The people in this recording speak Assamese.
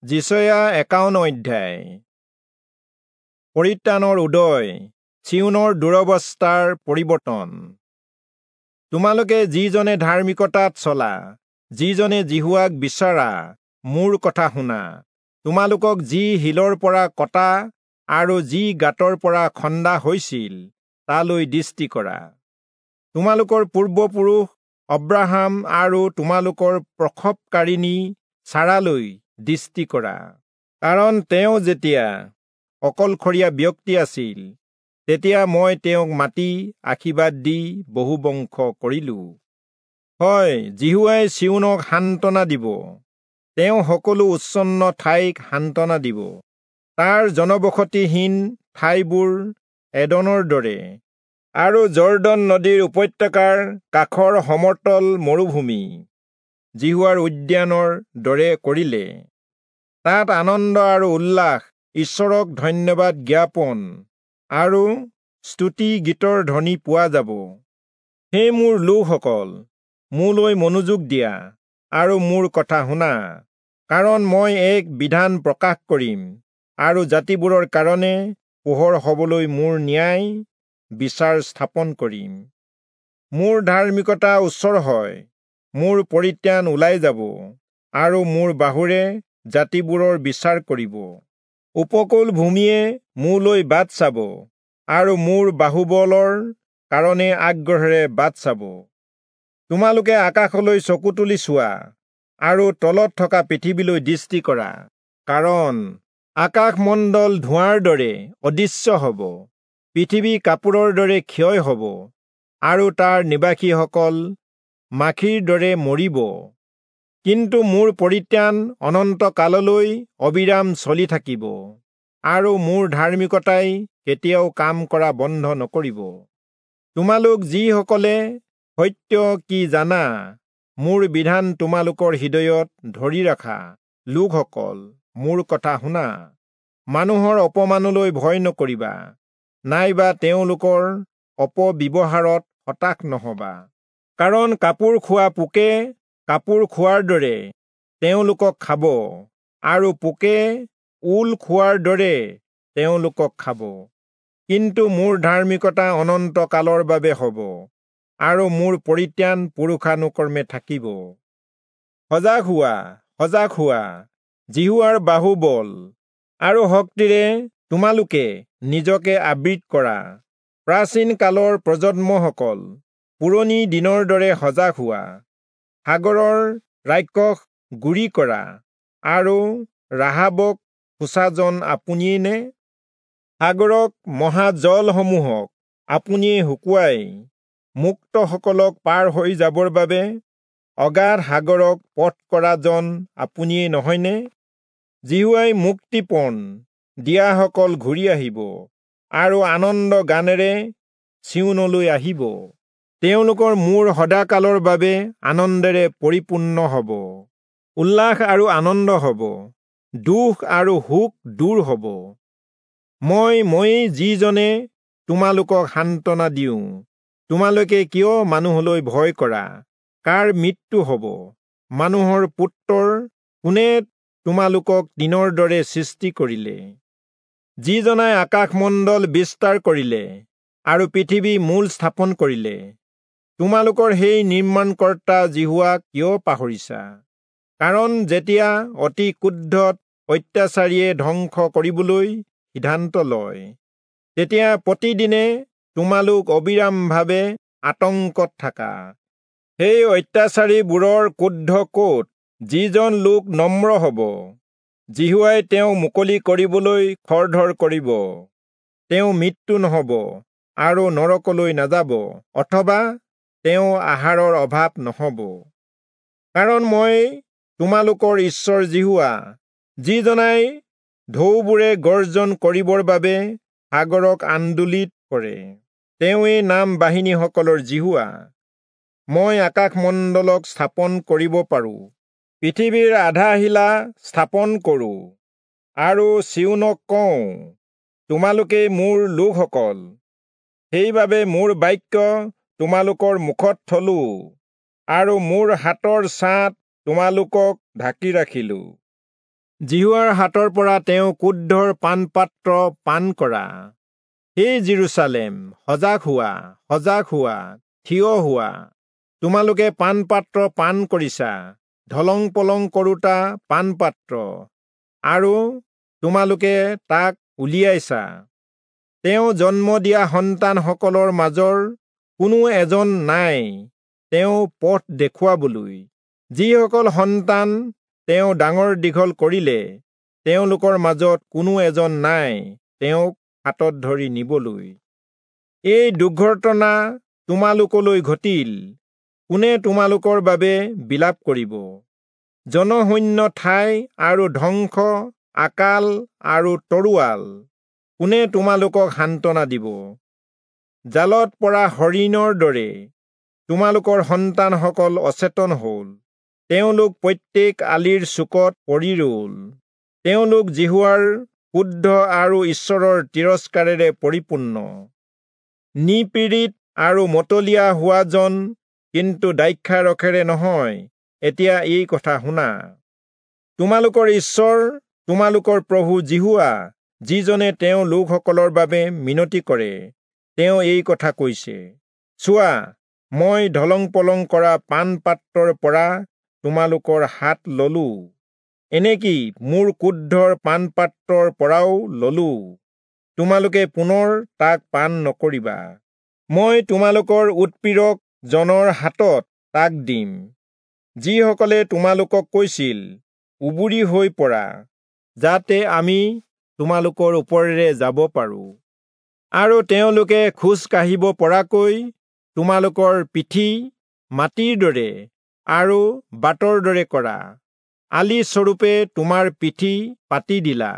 যিচয়া 51 অধ্যায়। পৰিত্ৰাণৰ উদয়, চিয়োনৰ দুৰৱস্থাৰ পৰিৱৰ্তন। তোমালোকে যিজনে ধাৰ্মিকতাত চলা, যিজনে যিহোৱাক বিচাৰা, মোৰ কথা শুনা। তোমালোকক যি শিলৰ পৰা কটা আৰু যি গাঁতৰ পৰা খন্দা হৈছিল, তালৈ দৃষ্টি কৰা। তোমালোকৰ পূৰ্বপুৰুষ অব্ৰাহাম আৰু তোমালোকৰ প্ৰসৱকাৰিণী চাৰালৈ দৃষ্টি কৰা। কাৰণ তেওঁ যেতিয়া অকলশৰীয়া ব্যক্তি আছিল, তেতিয়া মই তেওঁক মাতি আশীৰ্বাদ দি বহু বংশ কৰিলো। হয়, যিহোৱাই চিয়োনক সান্তনা দিব, তেওঁ সকলো উচ্ছন্ন ঠাইক সান্তনা দিব। তাৰ জনবসতিহীন ঠাইবোৰ এডনৰ দৰে আৰু জৰ্দন নদীৰ উপত্যকাৰ কাষৰ সমতল মৰুভূমি যিহোৱাৰ উদ্যানৰ দৰে কৰিলে। তাত আনন্দ আৰু উল্লাস, ঈশ্বৰক ধন্যবাদ জ্ঞাপন আৰু স্তুতি গীতৰ ধ্বনি পোৱা যাব। হে মোৰ লোকসকল, মোলৈ মনোযোগ দিয়া আৰু মোৰ কথা শুনা, কাৰণ মই এক বিধান প্ৰকাশ কৰিম আৰু জাতিবোৰৰ কাৰণে পোহৰ হবলৈ মোৰ ন্যায় বিচাৰ স্থাপন কৰিম। মোৰ ধাৰ্মিকতা ওচৰ হয়, মোৰ পৰিত্ৰাণ ওলাই যাব আৰু মোৰ বাহুৰে জাতিবোৰৰ বিচাৰ কৰিব। উপকূল ভূমিয়ে মোলৈ বাট চাব আৰু মোৰ বাহুবলৰ কাৰণে আগ্ৰহেৰে বাট চাব। তোমালোকে আকাশলৈ চকু তুলি চোৱা আৰু তলত থকা পৃথিৱীলৈ দৃষ্টি কৰা, কাৰণ আকাশমণ্ডল ধোঁৱাৰ দৰে অদৃশ্য হ'ব, পৃথিৱী কাপোৰৰ দৰে ক্ষয় হ'ব আৰু তাৰ নিবাসীসকল মাখিৰ দৰে মৰিব। কিন্তু মোৰ পৰিত্ৰাণ অনন্তকাললৈ অবিৰাম চলি থাকিব আৰু মোৰ ধাৰ্মিকতাই কেতিয়াও কাম কৰা বন্ধ নকৰিব। তোমালোক যিসকলে সত্য কি জানা, মোৰ বিধান তোমালোকৰ হৃদয়ত ধৰি ৰাখা লোকসকল, মোৰ কথা শুনা। মানুহৰ অপমানলৈ ভয় নকৰিবা, নাইবা তেওঁলোকৰ অপব্যৱহাৰত হতাশ নহবা। কাৰণ কাপোৰ খোৱা পোকে কাপোৰ খোৱাৰ দৰে তেওঁলোকক খাব আৰু পোকে ঊল খোৱাৰ দৰে তেওঁলোকক খাব। কিন্তু মোৰ ধাৰ্মিকতা অনন্তকালৰ বাবে হ'ব আৰু মোৰ পৰিত্ৰাণ পুৰুষানুক্ৰমে থাকিব। সজাগ হোৱা, সজাগ হোৱা, যিহোৱাৰ বাহুবল আৰু শক্তিৰে তোমালোকে নিজকে আবৃত কৰা। প্ৰাচীন কালৰ প্ৰজন্মসকল, পুৰণি দিনৰ দৰে সজাগ হোৱা। সাগৰৰ ৰাক্ষস গুৰি কৰা আৰু ৰাহাবক খোচাজন আপুনিয়েই নে? সাগৰক, মহাজলসমূহক আপুনিয়ে শুকুৱাই মুক্তসকলক পাৰ হৈ যাবৰ বাবে অগাধ সাগৰক পথ কৰাজন আপুনিয়েই নহয়নে? যিহোৱাই মুক্তিপণ দিয়াসকল ঘূৰি আহিব আৰু আনন্দ গানেৰে চিয়োনলৈ আহিব। তেওঁলোকৰ মূৰ সদাকালৰ বাবে আনন্দেৰে পৰিপূৰ্ণ হ'ব, উল্লাস আৰু আনন্দ হ'ব, দুখ আৰু শোক দূৰ হ'ব। ময়েই যিজনে তোমালোকক সান্তনা দিওঁ। তোমালোকে কিয় মানুহলৈ ভয় কৰা? কাৰ মৃত্যু হ'ব? মানুহৰ পুত্ৰৰ কোনে তোমালোকক দিনৰ দৰে সৃষ্টি কৰিলে? যিজনাই আকাশমণ্ডল বিস্তাৰ কৰিলে আৰু পৃথিৱী মূল স্থাপন কৰিলে, তোমালোকৰ সেই নিৰ্মাণকৰ্তা যিহোৱাক কিয় পাহৰিছা? কাৰণ যেতিয়া অতি ক্ৰোধত অত্যাচাৰীয়ে ধ্বংস কৰিবলৈ সিদ্ধান্ত লয়, তেতিয়া প্ৰতিদিনে তোমালোক অবিৰামভাৱে আতংকত থাকা। সেই অত্যাচাৰীবোৰৰ ক্ৰোধ ক'ত? যিজন লোক নম্ৰ হ'ব, যিহোৱাই তেওঁ মুকলি কৰিবলৈ খৰধৰ কৰিব। তেওঁ মৃত্যু নহ'ব আৰু নৰকলৈ নাযাব, অথবা তেওঁ আহাৰৰ অভাৱ নহ'ব। কাৰণ মই তোমালোকৰ ঈশ্বৰ যিহোৱা, যিজনাই ঢৌবোৰে গৰ্জন কৰিবৰ বাবে সাগৰক আন্দোলিত কৰে, তেওঁৱেই নাম বাহিনীসকলৰ যিহোৱা। মই আকাশমণ্ডলক স্থাপন কৰিব পাৰোঁ, পৃথিৱীৰ আধাশিলা স্থাপন কৰোঁ আৰু চিয়োনক কওঁ, তোমালোকেই মোৰ লোকসকল। সেইবাবে মোৰ বাক্য তোমালোকৰ মুখত থলো আৰু মোৰ হাতৰ ছাঁত তোমালোকক ঢাকি ৰাখিলো। যিহোৱাৰ হাতৰ পৰা তেওঁ ক্ৰোধৰ পানপাত্ৰ পান কৰা। হে যিৰূচালেম, সজাগ হোৱা, সজাগ হোৱা, থিয় হোৱা। তোমালোকে পানপাত্ৰ পান কৰিছা, ঢলং পলং কৰোতা পানপাত্ৰ, আৰু তোমালোকে তাক উলিয়াইছা। তেওঁ জন্ম দিয়া সন্তানসকলৰ মাজৰ কোনো এজন নাই তেওঁ পথ দেখুৱাবলৈ। যিসকল সন্তান তেওঁ ডাঙৰ দীঘল কৰিলে, তেওঁলোকৰ মাজত কোনো এজন নাই তেওঁক হাতত ধৰি নিবলৈ। এই দুৰ্ঘটনা তোমালোকলৈ ঘটিল, কোনে তোমালোকৰ বাবে বিলাপ কৰিব? জনশূন্য ঠাই আৰু ধ্বংস, আকাল আৰু তৰোৱাল, কোনে তোমালোকক সান্তনা দিব? জালত পৰা হৰিণৰ দৰে তোমালোকৰ সন্তানসকল অচেতন হ'ল, তেওঁলোক প্ৰত্যেক আলিৰ চুকত পৰি ৰ'ল। তেওঁলোক যিহোৱাৰ ক্ৰোধ আৰু ঈশ্বৰৰ তিৰস্কাৰেৰে পৰিপূৰ্ণ। নিপীড়িত আৰু মতলীয়া হোৱাজন কিন্তু দ্ৰাক্ষাৰসেৰে নহয়। এতিয়া এই কথা শুনা, তোমালোকৰ ঈশ্বৰ তোমালোকৰ প্ৰভু যিহোৱা, যিজনে তেওঁ লোকসকলৰ বাবে মিনতি কৰে, তেওঁ এই কথা কৈছে, চোৱা, মই ঢলং পলং কৰা পানপাত্ৰৰ পৰা তোমালোকৰ হাত ললো, এনেকি মোৰ ক্ৰোধৰ পানপাত্ৰৰ পৰাও ললো। তোমালোকে পুনৰ তাক পান নকৰিবা। মই তোমালোকৰ উৎপীড়ক জনৰ হাতত তাক দিম, যিসকলে তোমালোকক কৈছিল, উবুৰি হৈ পৰা, যাতে আমি তোমালোকৰ ওপৰেৰে যাব পাৰো, আৰু তেওঁলোকে খোজ কাঢ়িব পৰাকৈ তোমালোকৰ পিঠি মাটিৰ দৰে আৰু বাটৰ দৰে কৰা আলি স্বৰূপে তোমাৰ পিঠি পাতি দিলা।